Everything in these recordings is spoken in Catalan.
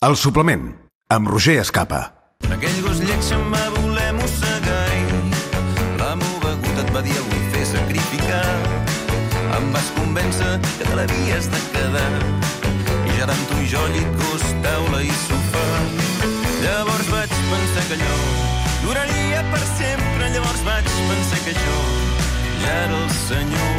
El suplement, amb Roger Escapa. Aquell gos lleig se'm va voler mossegar i la meva begut et va dir el vull fer sacrificar. Em vas convèncer que te l'havies de quedar i ja eren tu i jo, llit, gos, taula i sofà. Llavors vaig pensar que allò duraria per sempre. Llavors vaig pensar que jo ja era el senyor.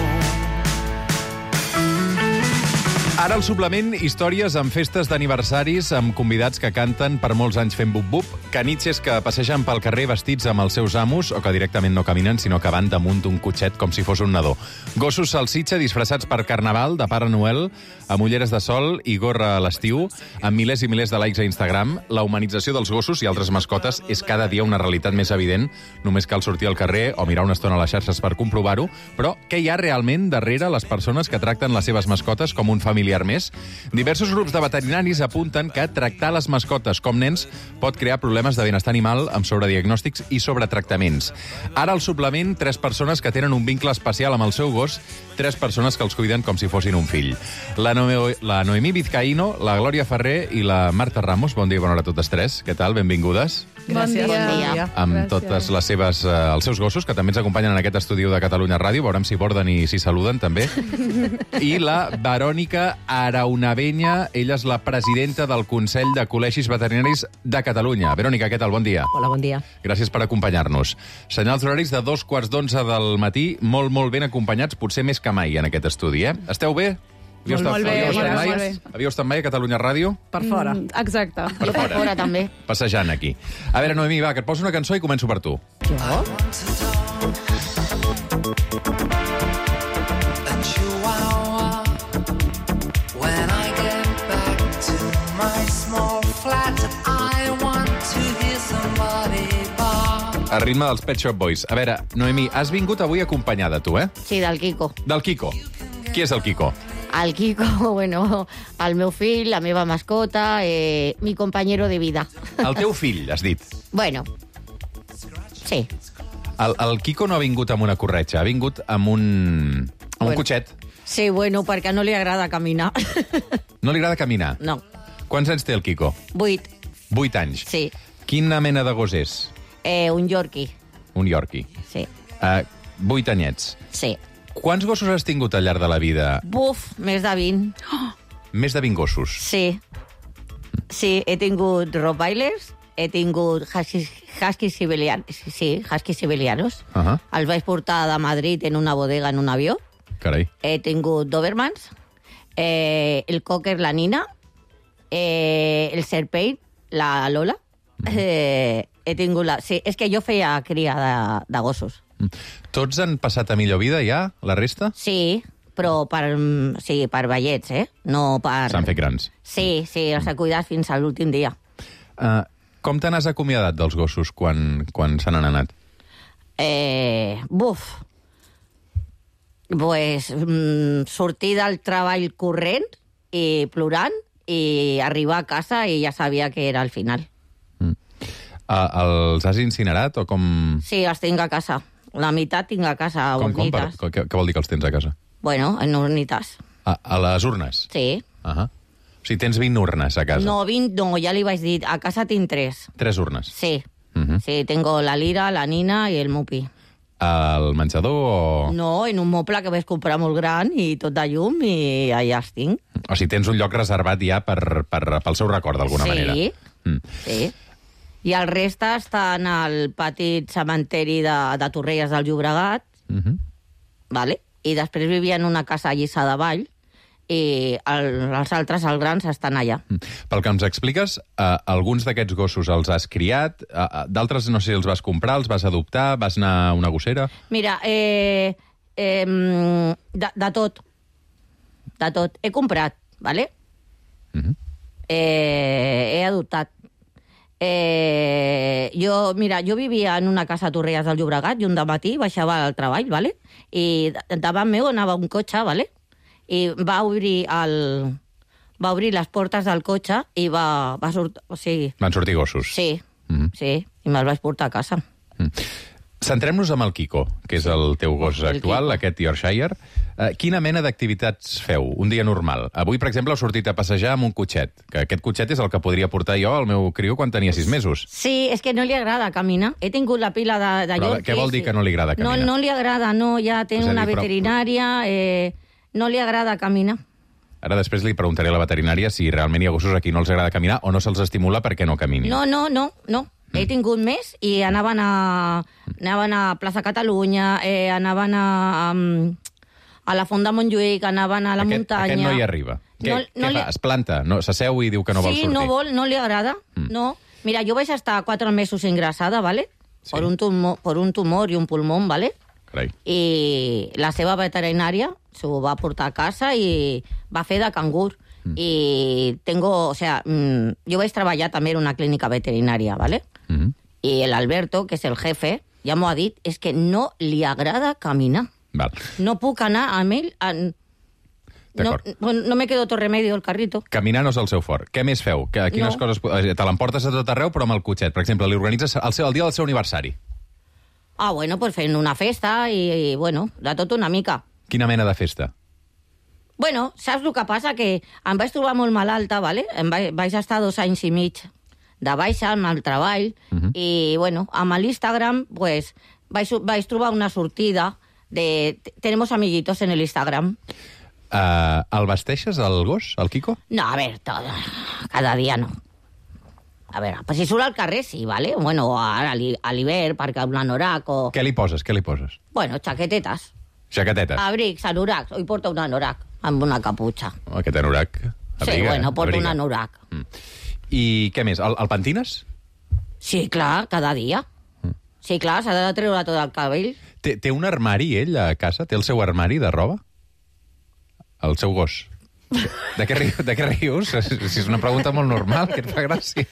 Ara el suplement, històries amb festes d'aniversaris, amb convidats que canten per molts anys fent bup-bup, canitxes que passegen pel carrer vestits amb els seus amos o que directament no caminen, sinó que van damunt d'un cotxet com si fos un nadó. Gossos salsitxa disfressats per Carnaval, de Pare Noel, amb ulleres de sol i gorra a l'estiu, amb milers i milers de likes a Instagram. La humanització dels gossos i altres mascotes és cada dia una realitat més evident. Només cal sortir al carrer o mirar una estona a les xarxes per comprovar-ho. Però què hi ha realment darrere les persones que tracten les seves mascotes com un familiar més? Diversos grups de veterinaris apunten que tractar les mascotes com nens pot crear problemes de benestar animal amb sobrediagnòstics i sobretractaments. Ara al suplement, 3 persones que tenen un vincle especial amb el seu gos, 3 persones que els cuiden com si fossin un fill. La Noemí Vizcaíno, la Glòria Ferrer i la Marta Ramos. Bon dia i bona hora a totes 3. Què tal? Benvingudes. Gràcies. Bon dia. Amb totes les seves, els seus gossos, que també ens acompanyen en aquest estudi de Catalunya Ràdio. Veurem si borden i si saluden, també. I la Verònica Araunavenya, ella és la presidenta del Consell de Col·legis Veterinaris de Catalunya. Verònica, què tal? Bon dia. Hola, bon dia. Gràcies per acompanyar-nos. Senyals horaris de 2:45 del matí, molt ben acompanyats, potser més que mai en aquest estudi, eh? Esteu bé? Molt bé. Havíeu estat mai a Catalunya Ràdio? Per fora. Exacte. Per Per fora, també. Passejant aquí. A veure, Noemí, va, que et poso una cançó i començo per tu. Jo? A ritme dels Pet Shop Boys. A veure, Noemí, has vingut avui acompanyada, tu, eh? Sí, del Quico. Del Quico. Qui és el Quico? El Quico, bueno, el meu fill, la meva mascota, mi compañero de vida. El teu fill, has dit. Bueno, sí. El Quico no ha vingut amb una corretja, ha vingut amb un cotxet. Sí, bueno, perquè no li agrada caminar. No li agrada caminar? No. Quants anys té el Quico? 8, 8 anys. sí. Quina mena de gos és? Un Yorkie, Un Yorkie. sí. 8 anyets. Sí. Quants gossos has tingut al llarg de la vida? Buf, més de 20. Més de 20 gossos. Sí. Sí, he tingut Rottweilers, he tingut Huskies siberianos. Sí, Huskies siberianos. Els vaig portar de Madrid en una bodega en un avió. Carai. He tingut Dobermans, el Cocker, la Nina, el Serpent, la Lola. He tingut la... Sí, és que jo feia cria de gossos. Tots han passat a millor vida ja, la resta? Sí, però per vellets, No per... S'han fet grans. Sí, els he cuidat fins a l'últim dia. Com te n'has acomiadat dels gossos quan se n'han anat? Pues, sortir del treball corrent i plorant i arribar a casa i ja sabia que era el final. Els has incinerat o com... Sí, els tinc a casa. La meitat tinc a casa, a urnites. Què vol dir que els tens a casa? Bueno, en urnites. A les urnes? Sí. O sigui, tens 20 urnes a casa? No, 20 no, ja li vaig dir. A casa tinc 3. 3 urnes? Sí. Sí, tengo la Lira, la Nina i el Mupi. Al menjador o...? No, en un moble que vaig comprar molt gran i tot de llum i allà els tinc. O sigui, tens un lloc reservat ja pel seu record, d'alguna manera. Sí. I el reste està en el petit cementeri de Torrelles del Llobregat, vale? I després vivia en una casa a Lliçà de Vall, i els altres, els grans, estan allà. Pel que ens expliques, alguns d'aquests gossos els has criat, d'altres no sé si els vas comprar, els vas adoptar, vas anar a una gossera... Mira, de tot. De tot. He comprat, vale? He adoptat. Jo vivia en una casa a Torrelles del Llobregat i un dematí baixava al treball, vale? I davant meu anava un cotxe, vale? I va obrir les portes del cotxe i va sortir... O sigui, Van sortir gossos? sí, sí, i me'l vaig portar a casa. Centrem-nos amb el Kiko, que és el teu gos El actual, Kiko. aquest Yorkshire. Quina mena d'activitats feu un dia normal? Avui, per exemple, heu sortit a passejar amb un cotxet, que aquest cotxet és el que podria portar jo al meu criu quan tenia 6 mesos. Sí, és que no li agrada caminar. He tingut la pila de Però Yorkies. què vol dir que no li agrada caminar? No li agrada, no, ja té És a dir, una però- veterinària, no li agrada caminar. Ara després li preguntaré a la veterinària si realment hi ha gossos a qui no els agrada caminar o no se'ls estimula perquè no caminin. No. He tingut més i anaven a Plaça Catalunya, anaven a la Font de Montjuïc, anaven a la muntanya. Aquest no hi arriba. Què fa? Es planta? No, s'asseu i diu que no vol sortir? Sí, no li agrada, no. Mira, jo vaig estar 4 mesos ingressada, ¿vale? Sí. Por un tumor y un pulmón, ¿vale? Carai. I la seva veterinària s'ho va portar a casa i va fer de cangur. Y yo vaig treballar també en una clínica veterinària, ¿vale? Y el Alberto, que és el jefe, ja m'ho ha dit, és que no li agrada caminar. Val. No puc anar amb ell... No me quedo otro remedio el carrito. Caminar no és el seu fort. Què més feu? Quines No. coses... Te l'emportes a tot arreu, però amb el cotxet. Per exemple, li organitzes el dia del seu aniversari. Ah, bueno, pues fent una festa i bueno, de tot una mica. Quina mena de festa? Bueno, saps el que passa? Que em vaig trobar molt malalta, ¿vale? Vaig estar 2 anys i mig de baixa amb el treball i, bueno, amb l'Instagram pues, vaig trobar una sortida de... Tenemos amiguitos en el Instagram. El vesteixes, el gos, el Kiko? No, a ver, cada dia no. A veure, pues si surt al carrer sí, ¿vale? Bueno, ara a l'hivern, perquè un anorac o... Què li poses? Bueno, xaquetetes, Jaquetetes. abrics, anoracs. Hoy porta un anorac amb una caputxa. Aquest anorac. Sí, bueno, porta un anorac. I què més? El pentines? Sí, clar, cada dia. Sí, clar, s'ha de treure tot el cabell. Té un armari, ell, a casa? Té el seu armari de roba? El seu gos? De què rius? Si és una pregunta molt normal, que et fa gràcia.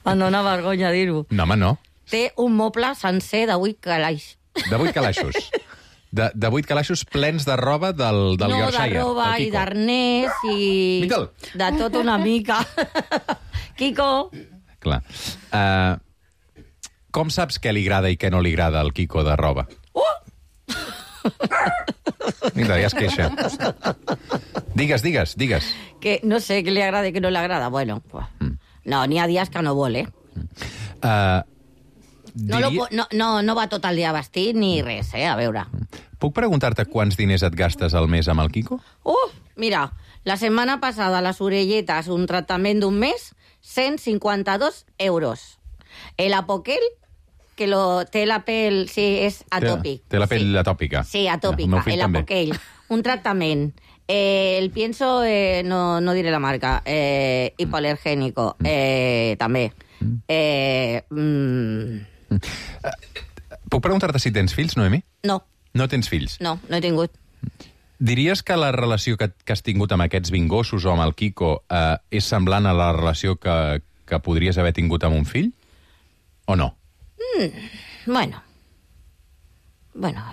Em dóna vergonya dir-ho. No, home, no. Té un moble sencer de 8 calaix. De 8 calaixos. De 8 calaixos plens de roba del Yorkshire. No, de roba del i Kiko. d'arnès i... Miquel. De tot una mica. Kiko. Clar. Com saps què li agrada i què no li agrada al Kiko de roba? Mira, ja es queixa. Digues. Que no sé què li agrada i què no li agrada. Bueno, pues, no, n'hi ha dies que no vol, eh? No va tot el dia vestit ni res, a veure. Puc preguntar-te quants diners et gastes al mes amb el Kiko? Mira, la setmana passada les orelletes, un tractament d'un mes, 152 euros. El apoquel, que té la pell, sí, és atòpic. Té la pell sí. atòpica. Sí, El atòpica, meu fill el també. apoquel. Un tractament. El pienso, no diré la marca, hipoalergénico, també. Puc preguntar-te si tens fills, Noemi? No, No tens fills. no he tingut. Diries que la relació que has tingut amb aquests 20 gossos o amb el Kiko és semblant a la relació que podries haver tingut amb un fill? O no? Bueno,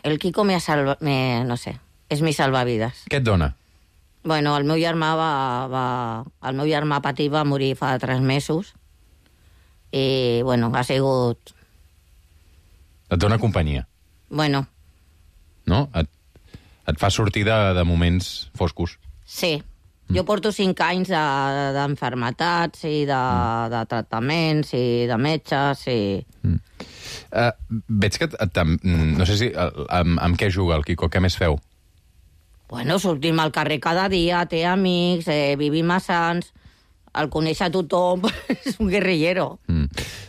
el Kiko no sé, és mi salvavides. Què et dona? Bueno, el meu germà el meu germà petit va morir fa 3 mesos i, bueno, ha sigut... Et dona companyia, Bueno, no? Et fa sortir de moments foscos. sí. Jo porto 5 anys d'enfermetats i de tractaments i de metges i... Veig que... no sé si... amb què juga el Kiko? Què més feu? Bueno, sortim al carrer cada dia, té amics, vivim a Sants, el coneix a tothom, és un guerrillero.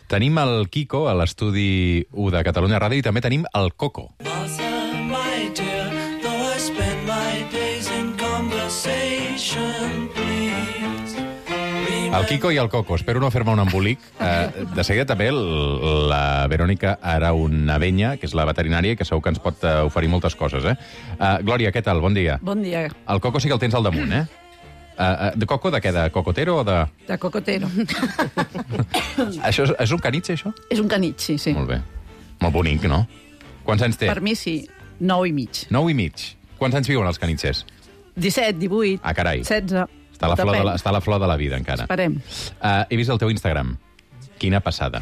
Tenim el Kiko a l'estudi 1 de Catalunya Ràdio i també tenim el Coco. El Kiko i el Coco. Espero no fer-me un embolic. De seguida també la Verònica Araunavenya, que és la veterinària, que segur que ens pot oferir moltes coses. Glòria, què tal? Bon dia. Bon dia. El Coco sí que el tens al damunt, eh? De Coco, de què? De cocotero o de... De cocotero. Això és un canitxe, això? És un canit, sí. Molt bé. Molt bonic, no? Quants anys té? Per mi sí, 9 i mig. 9 i mig. Quants anys viuen els canitxers? 17, 18, Ah, carai. 16. Està a la flor de la vida, encara. Esperem. He vist el teu Instagram. Quina passada.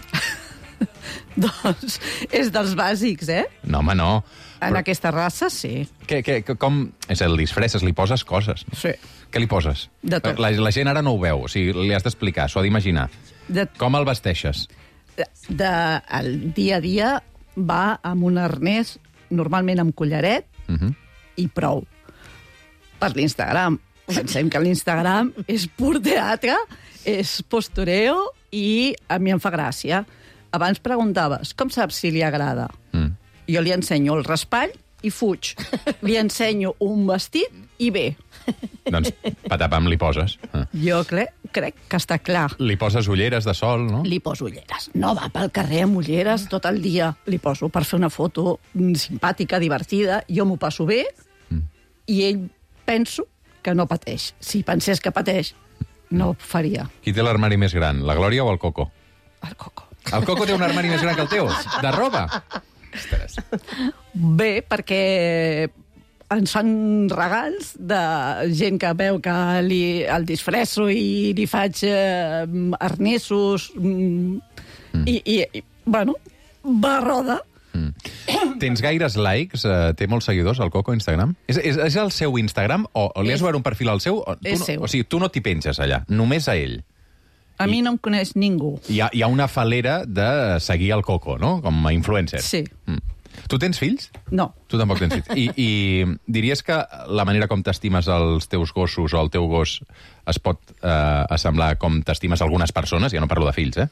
Doncs és dels bàsics, eh? No, home, no. En aquesta raça, sí. Com... És el disfresses, li poses coses. No? Sí. Què li poses? De tot. La gent ara no ho veu, o sigui, li has d'explicar, s'ho ha d'imaginar. Com el vesteixes? El dia a dia va amb un arnès, normalment amb collaret, i prou. Per l'Instagram. Pensem que l'Instagram és pur teatre, és postureo i a mi em fa gràcia. Abans preguntaves, com saps si li agrada? Jo li ensenyo el raspall i fuig. Li ensenyo un vestit i ve. Doncs patapam li poses. Jo crec que està clar. Li poses ulleres de sol, no? Li poso ulleres. No va pel carrer amb ulleres tot el dia. Li poso per fer una foto simpàtica, divertida. Jo m'ho passo bé i ell penso que no pateix. Si pensés que pateix, no ho faria. Qui té l'armari més gran, la Glòria o el Coco? El Coco. El Coco té un armari més gran que el teu? De roba? Ostres. Bé, perquè ens fan regals de gent que veu que el disfresso i li faig arnessos i bueno, va a roda. Tens gaires likes? Té molts seguidors, el Coco, a Instagram? És el seu Instagram o li has obert un perfil al seu? És seu. O sigui, tu no t'hi penges allà, només a ell. A mi no em coneix ningú. Hi ha una falera de seguir el Coco, no? Com a influencer. Sí. Tu tens fills? No. Tu tampoc tens fills. I diries que la manera com t'estimes els teus gossos o el teu gos es pot assemblar com t'estimes algunes persones? Ja no parlo de fills, eh?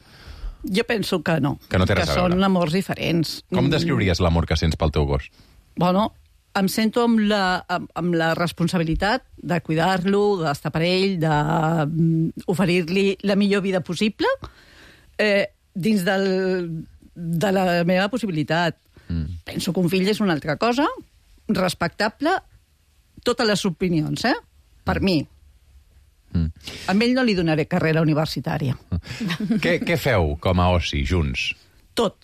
Jo penso que no. Que no té res a veure. Que són amors diferents. Com descriuries l'amor que sents pel teu gos? Bueno, em sento amb la responsabilitat de cuidar-lo, d'estar per ell, d'oferir-li la millor vida possible dins de la meva possibilitat. Penso que un fill és una altra cosa, respectable, totes les opinions, per mi. A ell no li donaré carrera universitària. Què feu com a oci, junts? Tot.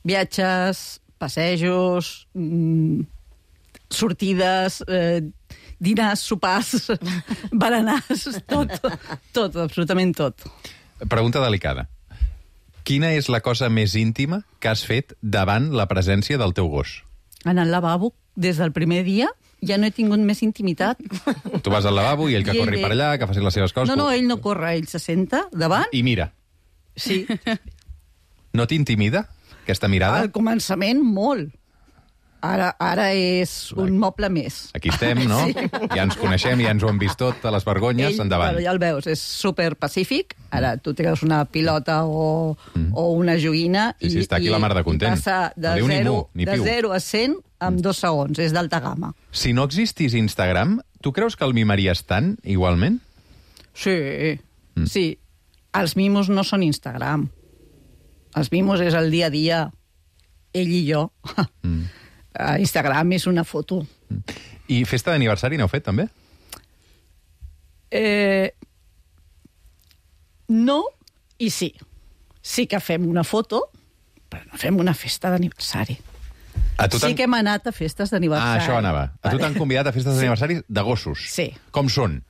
Viatges, passejos, sortides, dinars, sopars, berenars, tot, absolutament tot. Pregunta delicada. Quina és la cosa més íntima que has fet davant la presència del teu gos? En el lavabo, des del primer dia, ja no he tingut més intimitat. Tu vas al lavabo i ell que corri per allà, que faci les seves coses... No, ell no corre, ell se senta davant... I mira. Sí. No t'intimida, aquesta mirada? Al començament, molt. Ara és un moble més. Aquí estem, no? Sí. Ja ens coneixem, ja ens ho hem vist tot, a les vergonyes, endavant. Ja el veus, és super pacífic. Ara tu treus una pilota o una joguina i està aquí la mar de content. Passa de 0 a 100 en 2 segons. És d'alta gamma. Si no existís Instagram, tu creus que el mimaries tant, igualment? Sí, sí. Els mimos no són Instagram. Els mimos és el dia a dia, ell i jo. Instagram és una foto. I festa d'aniversari n'heu fet, també? No i sí. Sí que fem una foto, però no fem una festa d'aniversari. Sí que hem anat a festes d'aniversari. Això anava. A tu t'han convidat a festes d'aniversari de gossos? Sí. Com són?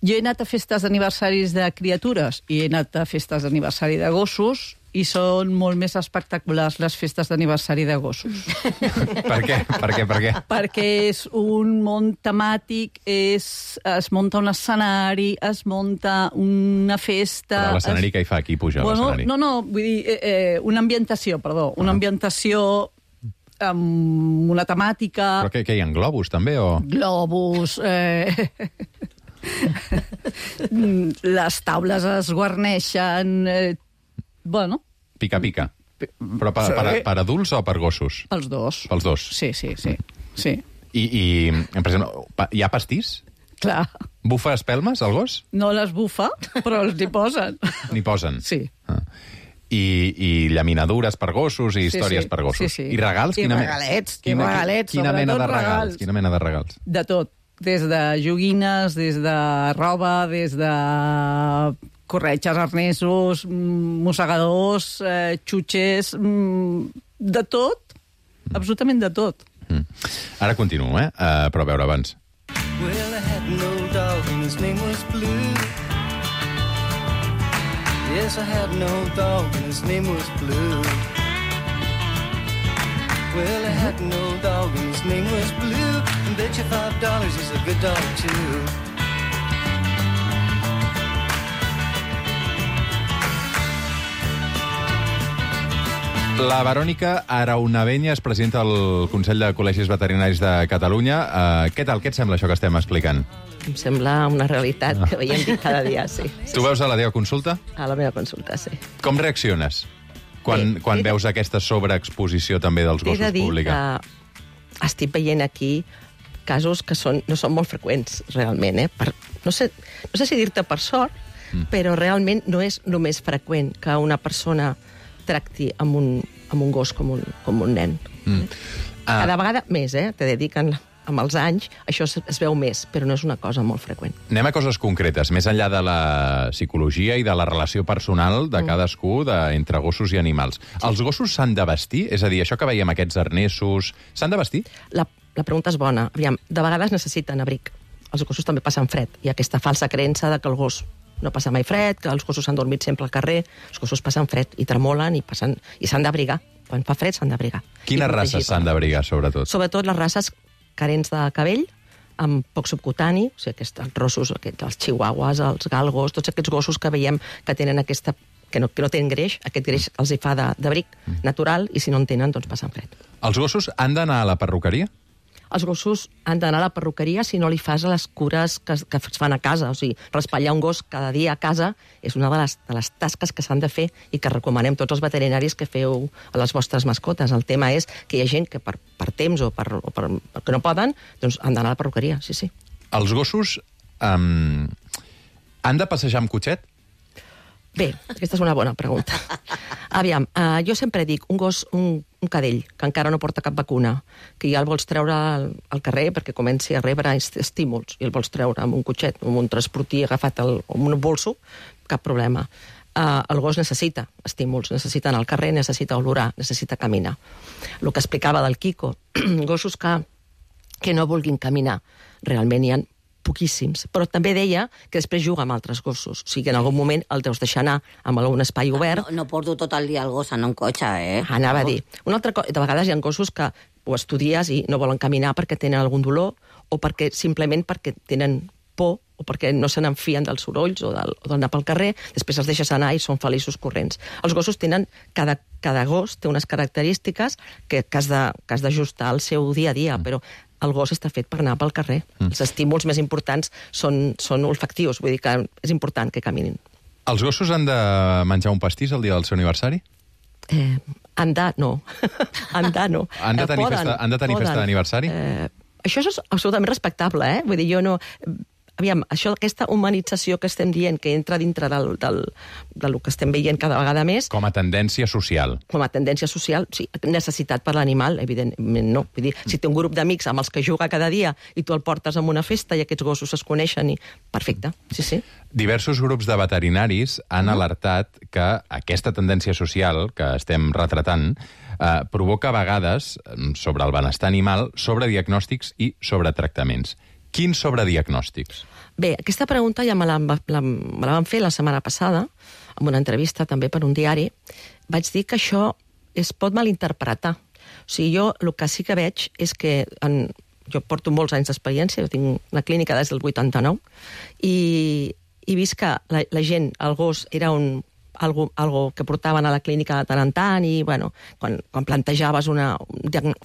Jo he anat a festes d'aniversaris de criatures i he anat a festes d'aniversari de gossos i són molt més espectaculars les festes d'aniversari de gossos. Per què? Perquè és un món temàtic, es munta un escenari, es munta una festa... Però l'escenari què hi fa? Qui puja a l'escenari? No, vull dir, una ambientació amb una temàtica... Però què hi ha, globus, també? Globus... les taules es guarneixen... Bueno... Pica. Però per adults o per gossos? Pels dos. Pels dos? Sí. I per exemple, hi ha pastís? Clar. Bufa espelmes, el gos? No les bufa, però els hi posen. N'hi posen? Sí. I llaminadures per gossos i històries per gossos. Sí. I regals? I regalets, quina mena de regals? Quina mena de regals? De tot. Des de joguines, des de roba, des de corretges, arnesos, mossegadors, xutxes, de tot, absolutament de tot. Ara continuo, però a veure, abans. Well, I had no dog and his name was Blue. Yes, I had an old dog and his name was Blue. Well, I had an old dog and his name was Blue, and bet you $5 he's a good dog too. La Verònica Araunavenya és presidenta del Consell de Col·legis Veterinaris de Catalunya. Què tal? Què et sembla això que estem explicant? Em sembla una realitat que veiem dir cada dia, sí. Tu veus a la teva consulta? A la meva consulta, sí. Com reacciones quan veus aquesta sobreexposició també dels gossos pública? He de dir que estic veient aquí casos que no són molt freqüents, realment. No sé si dir-te per sort, però realment no és només freqüent que una persona tracti amb un gos com un nen. Cada vegada més, t'he de dir que amb els anys això es veu més, però no és una cosa molt freqüent. Anem a coses concretes, més enllà de la psicologia i de la relació personal de cadascú entre gossos i animals. Els gossos s'han de vestir? És a dir, això que veiem, aquests arnessos, s'han de vestir? La pregunta és bona. Aviam, de vegades necessiten abric. Els gossos també passen fred. Hi ha aquesta falsa creença de que el gos no passa mai fred, que els gossos han dormit sempre al carrer. Els gossos passen fred i tremolen i s'han d'abrigar. Quan fa fred s'han d'abrigar. Quines races s'han d'abrigar, sobretot? Sobretot les races carents de cabell, amb poc subcutani, o sigui, els rossos, els chihuahuas, els galgos, tots aquests gossos que veiem que tenen aquesta que no tenen greix, aquest greix els hi fa d'abric natural, i si no en tenen, doncs passen fred. Els gossos han d'anar a la perruqueria? Els gossos han d'anar a la perruqueria si no li fas les cures que es fan a casa. O sigui, raspallar un gos cada dia a casa és una de les tasques que s'han de fer i que recomanem tots els veterinaris que feu a les vostres mascotes. El tema és que hi ha gent que per temps o que no poden, doncs han d'anar a la perruqueria, sí. Els gossos han de passejar amb cotxet? Bé, aquesta és una bona pregunta. Aviam, jo sempre dic, un gos, un cadell, que encara no porta cap vacuna, que ja el vols treure al carrer perquè comenci a rebre estímuls, i el vols treure amb un cotxet, amb un transportí agafat amb un bolso, cap problema. El gos necessita estímuls, necessita anar al carrer, necessita olorar, necessita caminar. El que explicava del Quico, gossos que no vulguin caminar, realment hi ha poquíssims, però també deia que després juga amb altres gossos, o sigui que en algun moment el deus deixar anar amb algun espai obert. No porto tot el dia el gos en un cotxe, Anava a dir. Una altra cosa, de vegades hi ha gossos que ho estudies i no volen caminar perquè tenen algun dolor o simplement perquè tenen por o perquè no se n'enfien dels sorolls o d'anar pel carrer, després els deixes anar i són feliços corrents. Els gossos tenen, cada gos té unes característiques que has d'ajustar al seu dia a dia, però el gos està fet per anar pel carrer. Els estímuls més importants són olfactius, vull dir que és important que caminin. Els gossos han de menjar un pastís el dia del seu aniversari? Han de no. Han de tenir festa d'aniversari? Això és absolutament respectable, Vull dir, jo no... Aviam, aquesta humanització que estem dient, que entra dintre del que estem veient cada vegada més... Com a tendència social. Com a tendència social, sí. Necessitat per l'animal, evidentment no. Vull dir, si té un grup d'amics amb els que juga cada dia i tu el portes a una festa i aquests gossos es coneixen, perfecte, sí. Diversos grups de veterinaris han alertat que aquesta tendència social que estem retratant provoca a vegades, sobre el benestar animal, sobrediagnòstics i sobretractaments. Quins sobrediagnòstics? Bé, aquesta pregunta ja me la van fer la setmana passada, en una entrevista també per un diari. Vaig dir que això es pot malinterpretar. O sigui, jo el que sí que veig és que jo porto molts anys d'experiència, jo tinc una clínica des del 89, i he vist que la gent, el gos, era algo que portaven a la clínica de tant en tant, i quan plantejaves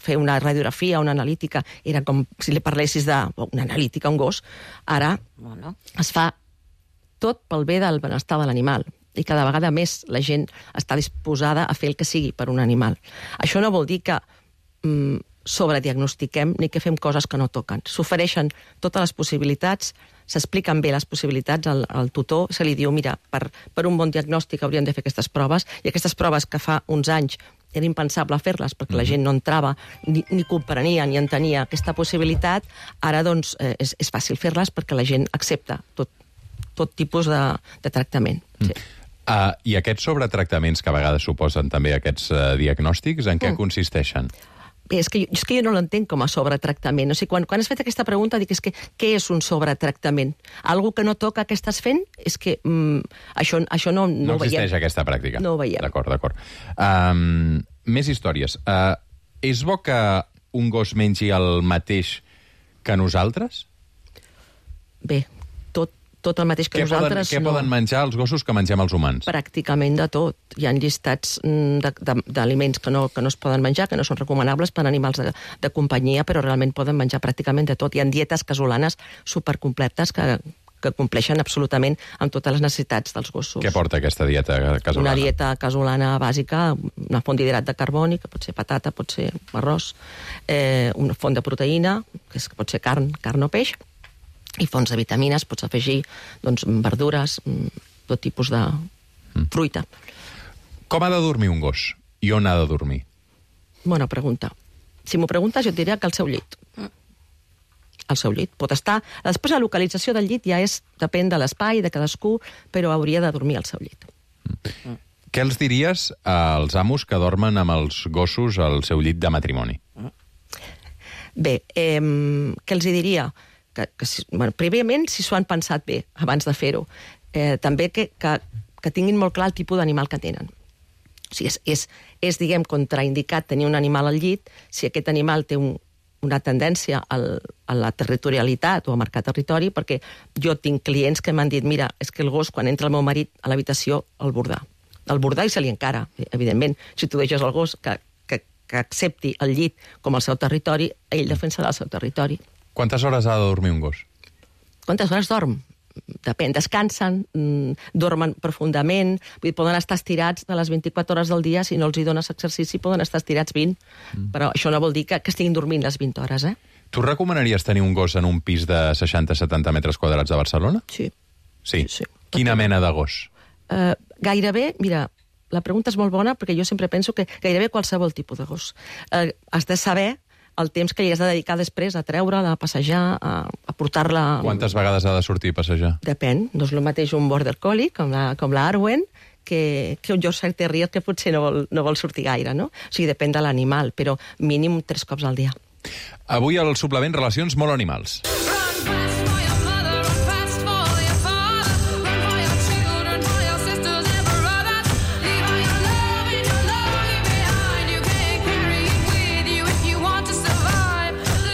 fer una radiografia, una analítica, era com si li parlessis d'una analítica a un gos. Ara es fa tot pel bé del benestar de l'animal, i cada vegada més la gent està disposada a fer el que sigui per un animal. Això no vol dir que sobrediagnostiquem ni que fem coses que no toquen. S'ofereixen totes les possibilitats, s'expliquen bé les possibilitats al tutor, se li diu, mira, per un bon diagnòstic hauríem de fer aquestes proves, i aquestes proves que fa uns anys era impensable fer-les perquè la gent no entrava, ni comprenia, ni entenia aquesta possibilitat, ara doncs és fàcil fer-les perquè la gent accepta tot tipus de tractament. Sí. I aquests sobretractaments que a vegades suposen també aquests diagnòstics, en què consisteixen? Bé, és que jo no l'entenc com a sobretractament. O sigui, quan has fet aquesta pregunta, dic, és que què és un sobretractament? Algú que no toca que estàs fent? És que això no ho veiem. No existeix aquesta pràctica. No ho veiem. D'acord. Més històries. És bo que un gos mengi el mateix que nosaltres? Bé, tot el mateix que nosaltres... Què poden menjar els gossos que mengem els humans? Pràcticament de tot. Hi ha llistats d'aliments que no es poden menjar, que no són recomanables per a animals de companyia, però realment poden menjar pràcticament de tot. Hi ha dietes casolanes supercompletes que compleixen absolutament amb totes les necessitats dels gossos. Què porta aquesta dieta casolana? Una dieta casolana bàsica, una font d'hidrat de carboni, que pot ser patata, pot ser arròs, una font de proteïna, que pot ser carn o peix, i fonts de vitamines, pots afegir verdures, tot tipus de fruita. Com ha de dormir un gos? I on ha de dormir? Bona pregunta. Si m'ho preguntes, jo et diria que al seu llit. Al seu llit. Pot estar... Després la localització del llit ja depèn de l'espai, de cadascú, però hauria de dormir al seu llit. Què els diries als amos que dormen amb els gossos al seu llit de matrimoni? Bé, què els diria? Prèviament, si s'ho han pensat bé, abans de fer-ho. També que tinguin molt clar el tipus d'animal que tenen. O sigui, és diguem, contraindicat tenir un animal al llit si aquest animal té una tendència a la territorialitat o a marcar territori, perquè jo tinc clients que m'han dit, mira, és que el gos, quan entra el meu marit a l'habitació, el bordar i se li encara, evidentment. Si tu deixes el gos que accepti el llit com el seu territori, ell defensarà el seu territori. Quantes hores ha de dormir un gos? Quantes hores dorm? Depèn, descansen, dormen profundament, vull dir, poden estar estirats de les 24 hores del dia, si no els hi dones exercici, poden estar estirats 20, però això no vol dir que estiguin dormint les 20 hores, Tu recomanaries tenir un gos en un pis de 60-70 metres quadrats de Barcelona? Sí. Sí? Quina mena de gos? Gairebé, mira, la pregunta és molt bona, perquè jo sempre penso que gairebé qualsevol tipus de gos. Has de saber el temps que li has de dedicar després a treure-la, a passejar, a portar-la... Quantes vegades ha de sortir a passejar? Depèn. No és el mateix un border collie, com la Arwen, que un Yorkshire Terrier que potser no vol sortir gaire, no? O sigui, depèn de l'animal, però mínim 3 cops al dia. Avui al suplement Relacions molt animals.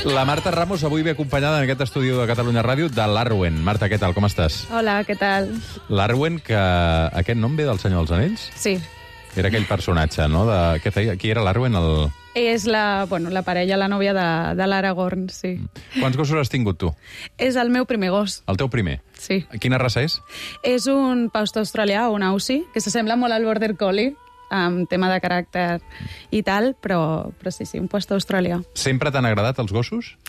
La Marta Ramos avui ve acompanyada en aquest estudi de Catalunya Ràdio de l'Arwen. Marta, què tal? Com estàs? Hola, què tal? L'Arwen, que aquest nom ve del Senyor dels Anells? Sí. Era aquell personatge, no? Què feia? Qui era l'Arwen? És la parella, la nòvia de l'Aragorn, sí. Quants gossos has tingut tu? És el meu primer gos. El teu primer? Sí. Quina raça és? És un pastor australià, un Aussie, que s'assembla molt al border collie, amb tema de caràcter i tal, però sí, un pastor australià. Sempre t'han agradat els gossos?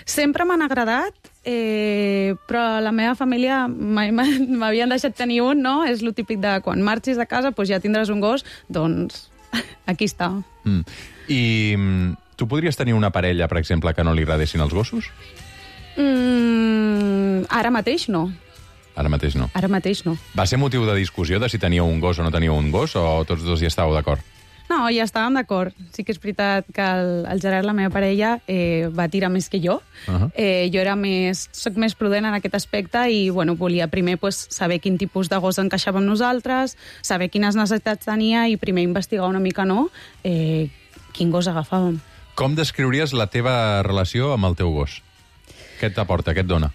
Sempre m'han agradat, però la meva família mai m'havien deixat tenir un, no? És lo típic de quan marxis de casa, doncs ja tindràs un gos, doncs aquí està. I tu podries tenir una parella, per exemple, que no li agradessin els gossos? Ara mateix no. Ara mateix no. Ara mateix no. Va ser motiu de discussió de si teníeu un gos o no teníeu un gos, o tots dos hi estàveu d'acord? No, ja estàvem d'acord. Sí que és veritat que el Gerard, la meva parella, va tirar més que jo. Jo soc més prudent en aquest aspecte i volia primer saber quin tipus de gos encaixava amb nosaltres, saber quines necessitats tenia i primer investigar una mica, quin gos agafàvem. Com descriuries la teva relació amb el teu gos? Què t'aporta, què et dona?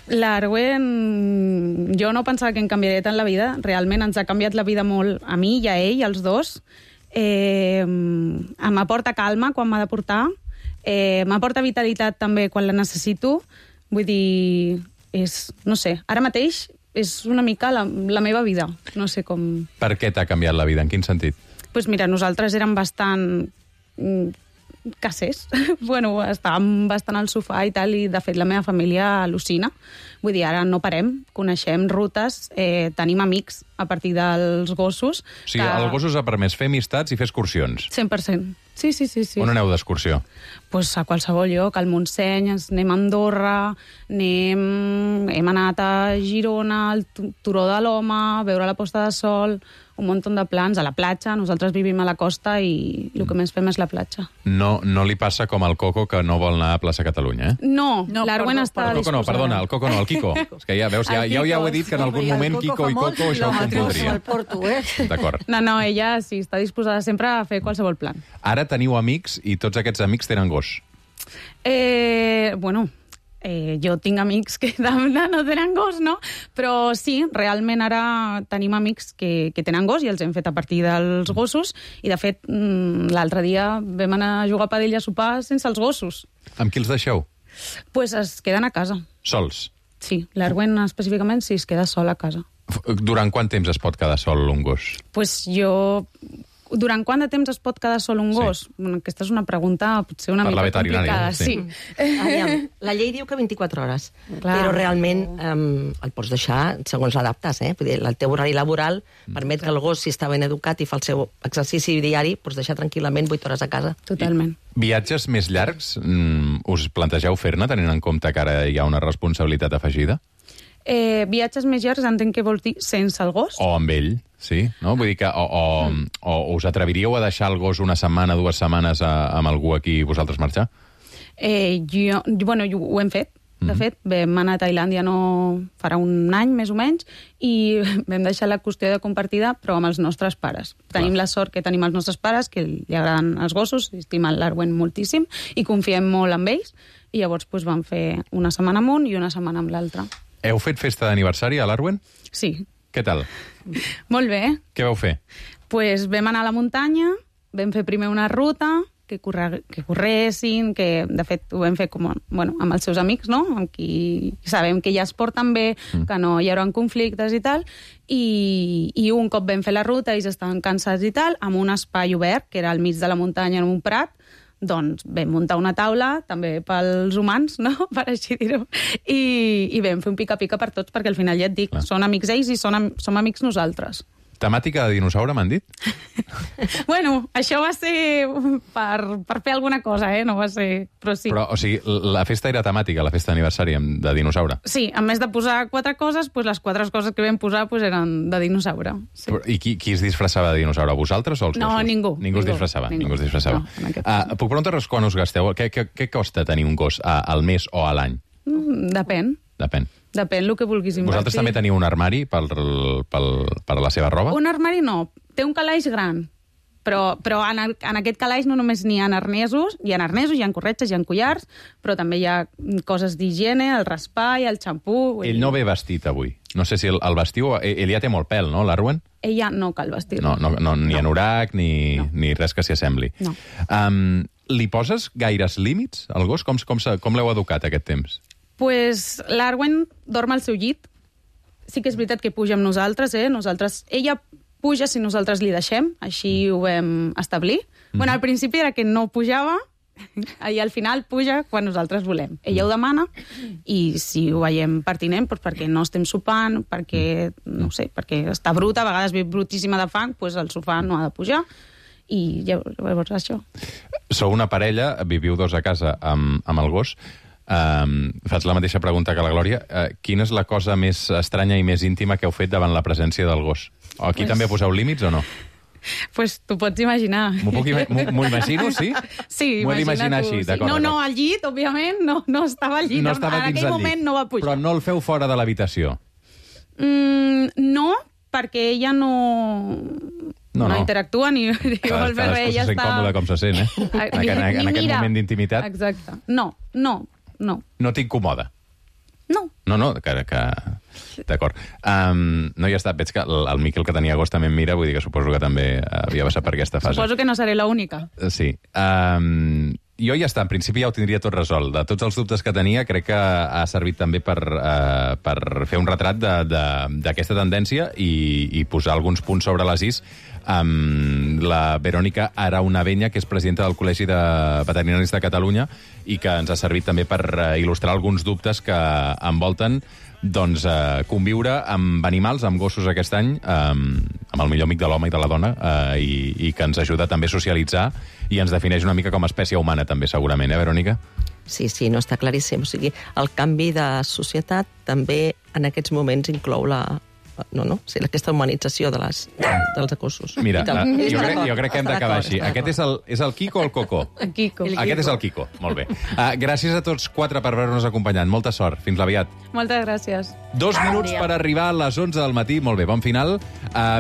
L'Arwen, jo no pensava que em canviaria tant la vida. Realment ens ha canviat la vida molt a mi i a ell, als dos. M'aporta calma quan m'ha de portar. M'aporta vitalitat també quan la necessito. Vull dir, no sé, ara mateix és una mica la meva vida. No sé com... Per què t'ha canviat la vida? En quin sentit? Doncs mira, nosaltres érem bastant... casers. Estàvem bastant al sofà i tal, i de fet la meva família al·lucina. Vull dir, ara no parem, coneixem rutes, tenim amics a partir dels gossos. O sigui, el gos us ha permès fer amistats i fer excursions. 100%. Sí. On aneu d'excursió? Pues a qualsevol lloc, al Montseny, anem a Andorra, hem anat a Girona, al Turó de l'Home, a veure la posta de sol, un munt de plans, a la platja. Nosaltres vivim a la costa i el que més fem és la platja. No li passa com al Coco, que no vol anar a plaça Catalunya, eh? No, l'Arwen està El Coco no, perdona, el Coco no, el Kiko. És que ja veus, ja ho he dit, que en algun moment Kiko i Coco això ho confondria. D'acord. No, ella sí, està disposada sempre a fer qualsevol plan. Ara teniu amics i tots aquests amics tenen gos. Jo tinc amics que no tenen gos, no? Però sí, realment ara tenim amics que tenen gos i els hem fet a partir dels gossos i, de fet, l'altre dia vam anar a jugar a padel i a sopar sense els gossos. Amb qui els deixeu? Pues es queden a casa. Sols? Sí, l'Arwen específicament sí, es queda sol a casa. Durant quant temps es pot quedar sol un gos? Pues durant quant de temps es pot quedar sol un gos? Sí. Bueno, aquesta és una pregunta potser una mica complicada. Sí. Aviam, la llei diu que 24 hores, però realment el pots deixar segons l'adaptes. Vull dir, el teu horari laboral permet que el gos, si està ben educat i fa el seu exercici diari, pots deixar tranquil·lament 8 hores a casa. Totalment. Viatges més llargs us plantegeu fer-ne, tenint en compte que ara hi ha una responsabilitat afegida? Viatges més llargs entenc que vols dir sense el gos? O amb ell, sí. No? Vull dir que o us atreviríeu a deixar el gos una setmana, 2 setmanes amb algú aquí i vosaltres marxar? Ho hem fet. De fet, vam anar a Tailàndia farà un any, més o menys, i vam deixar la qüestió de compartida, però amb els nostres pares. Tenim la sort que tenim els nostres pares, que li agraden els gossos, estimen l'Arwen moltíssim, i confiem molt en ells, i llavors vam fer una setmana amb un i una setmana amb l'altre. Heu fet festa d'aniversari a l'Arwen? Sí. Què tal? Molt bé. Què vau fer? Pues vam anar a la muntanya, vam fer primer una ruta, que corressin, que de fet ho vam fer amb els seus amics, no? Amb qui sabem que ja es porten bé, que no hi haurà conflictes i tal, i un cop vam fer la ruta, ells estaven cansats i tal, amb un espai obert, que era al mig de la muntanya en un prat, doncs vam muntar una taula, també pels humans, no?, per així dir-ho, i vam fer un pica-pica per tots, perquè al final ja et dic, són amics ells i som amics nosaltres. Temàtica de dinosaure, m'han dit? Això va ser per fer alguna cosa, no va ser... Però sí. Però, o sigui, la festa era temàtica, la festa d'aniversari de dinosaure? Sí, a més de posar 4 coses, les 4 coses que vam posar eren de dinosaure. Sí. I qui es disfressava de dinosaure? Vosaltres o els gossos? No, ningú. Ningú es disfressava. No, puc preguntar-vos quan us gasteu? Què costa tenir un gos al mes o a l'any? Depèn. Depèn el que vulguis invertir. Vosaltres també teniu un armari per la seva roba? Un armari no. Té un calaix gran. Però en aquest calaix no només n'hi ha arnesos, hi ha corretges, hi ha collars, però també hi ha coses d'higiene, el raspall, el xampú... Ell no ve vestit avui. No sé si el vestiu... Ell ja té molt pèl, no, l'Arwen? Ella no cal vestir. No, ni anorac, ni res que s'hi assembli. No. Li poses gaires límits al gos? Com l'heu educat aquest temps? Pues l'Arwen dorm al seu llit. Sí que és veritat que puja amb nosaltres, ella puja si nosaltres li deixem, així ho vam establir. Bueno, al principi era que no pujava, i al final puja quan nosaltres volem. Ella ho demana, i si ho veiem pertinent, doncs perquè no estem sopant, perquè, no sé, perquè està bruta, a vegades ve brutíssima de fang, doncs el sofà no ha de pujar, i llavors això. Sou una parella, viviu 2 a casa amb el gos. Faig la mateixa pregunta que la Glòria. Quina és la cosa més estranya i més íntima que heu fet davant la presència del gos? Aquí també poseu límits o no? Pues t'ho pots imaginar. M'ho imagino, sí? Sí, m'ho he d'imaginar així, d'acord. No, al llit, òbviament, no estava al llit. No estava dins del llit. En aquell moment no va pujar. Però no el feu fora de l'habitació? No, perquè ella no interactua ni vol fer res. Cadascú se sent còmode com se sent, en aquest moment d'intimitat. Exacte. No. No t'incomoda? No. No, que... D'acord. No, ja està. Veig que el Miquel, que tenia gos, també em mira, vull dir que suposo que també havia passat per aquesta fase. Suposo que no seré l'única. Sí. Jo ja està, en principi ja ho tindria tot resolt. De tots els dubtes que tenia, crec que ha servit també per fer un retrat d'aquesta tendència i posar alguns punts sobre les is amb la Verònica Araunavenya, que és presidenta del Col·legi de Veterinaris de Catalunya, i que ens ha servit també per il·lustrar alguns dubtes que envolten conviure amb animals, amb gossos aquest any, amb el millor amic de l'home i de la dona, i que ens ajuda també a socialitzar i ens defineix una mica com a espècie humana, també, segurament, Verònica? Sí, no, està claríssim. O sigui, el canvi de societat també en aquests moments inclou aquesta humanització dels gossos. Mira, jo crec que hem d'acabar així. Aquest és el Quico o el Coco? El Quico. Aquest és el Quico, molt bé. Gràcies a tots 4 per haver-nos acompanyat. Molta sort. Fins aviat. Moltes gràcies. 2 minuts per arribar a les 11 del matí. Molt bé, bon final.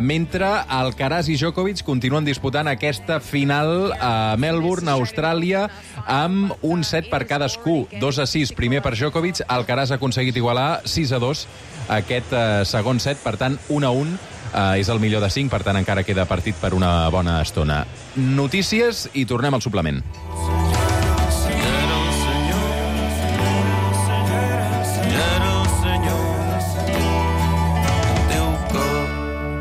Mentre Alcaraz i Djokovic continuen disputant aquesta final a Melbourne, Austràlia, amb un set per cadascú. 2-6, primer per Djokovic. Alcaraz ha aconseguit igualar 6-2 aquest segon set, per tant, 1-1. És el millor de 5, per tant, encara queda partit per una bona estona. Notícies i tornem al suplement.